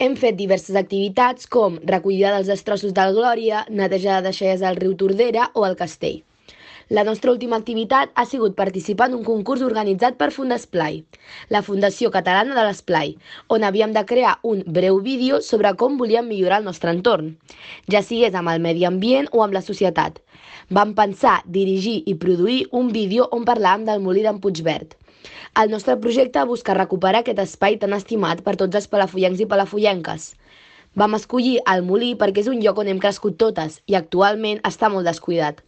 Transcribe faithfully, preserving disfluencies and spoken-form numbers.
Hem fet diverses activitats com recollida dels destrossos del Glòria, neteja de deixalles al riu Tordera o al Castell. La nostra última activitat ha sigut participar en un concurs organitzat per Fundesplai, la Fundació Catalana de l'Esplai, on havíem de crear un breu vídeo sobre com volíem millorar el nostre entorn, ja sigués amb el medi ambient o amb la societat. Vam pensar, dirigir i produir un vídeo on parlàvem del molí d'en Puigverd. El nostre projecte busca recuperar aquest espai tan estimat per tots els palafollencs i palafollenques. Vam escollir el molí perquè és un lloc on hem crescut totes i actualment està molt descuidat.